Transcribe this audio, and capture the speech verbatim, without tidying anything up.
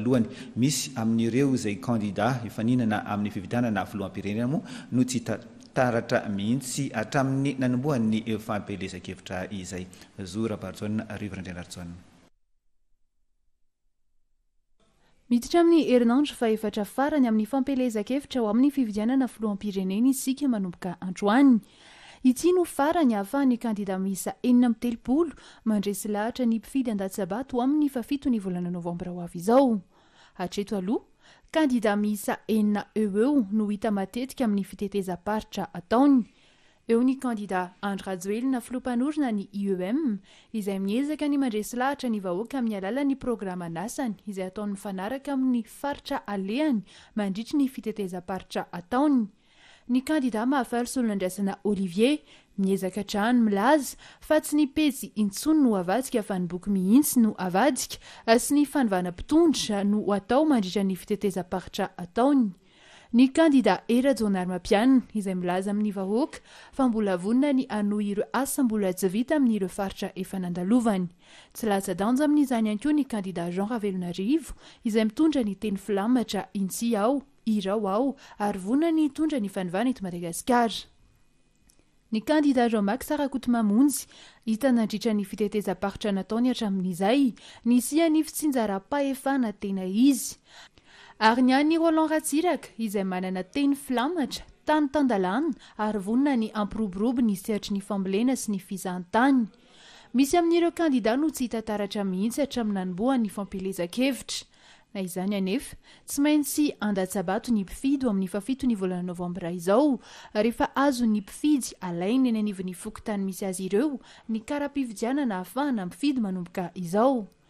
Voalohany, misy amin'ireo izay kandida hifaninana amin'ny fifidianana filoham-pirenena moa no tsy hita taratra mihitsy hatramin'ny nanombohan'ny fampielezan-kevitra izay. Zo Rabarijaona, Rivo Randrianarijaona. Miditra amin'ny herinandro fahefatra farany amin'ny fampielezan-kevitra ho amin'ny fifidianana filoham-pirenena isika manomboka androany. Ity no farany ahafahan'ny kandida miisa enina amby telopolo mandresy lahatra ny mpifidy an-datsabato ho amin'ny fahafito ny volana novambra ho avy izao. Hatreto aloha, kandida miisa enina eo ho eo no hita matetika amin'ny fitetezam-paritra ataony. Eo ny kandida Andry Rajoelina filoha mpanorina ny I E M izay miezaka ny mandresy lahatra ny vahoaka amin'ny alalan'ny programan'asany izay ataony mifanaraka amin'ny faritra alehany mandritry ny fitetezam-paritra ataony. Ny kandida Mahafaly Solonandrasana Olivier miezaka hatrany milaza fa tsy ny pejy intsony no avadika fa ny boky mihitsy no avadika sy ny fanovana mpitondra no atao mandritra ny fitetezam-paritra ataony. Ny kandida Hery Rajaonarimampianina izay milaza amin'ny vahoaka fa mbola vonona ny hanohy ireo asa mbola tsy vita amin'ireo faritra efa nandalovany. Tsy latsa-danja amin'izany ihany koa ny kandida Jean Ravelonarivo izay mitondra ny teny filamatra "Inty aho, irao aho" ary vonona ny hitondra ny fanovana eto Madagasikara. Ny kandida Jean Max Rakotomamonjy hita nandritra ny fitetezam-paritra nataony hatramin'izay nisian'ny fitsinjaram-pahefana tena izy. Ary ny an'i Roland Ratsiraka izay manana teny filamatra tany tan-dalàna ary vonona ny hampiroborobo ny sehatry ny fambolena sy ny fizahantany. Misy amin'ireo kandida no tsy hita taratra mihitsy hatramin'ny nanombohan'ny fampielezan-kevitra. Na izany anefa, tsy maintsy handatsa-bato ny mpifidy ho amin'ny fahafito ny volana novambra izao, rehefa azon'ny mpifidy alaina eny anivon'ny fokontany misy azy ireo ny kara-pifidianana ahafahana mifidy manomboka izao.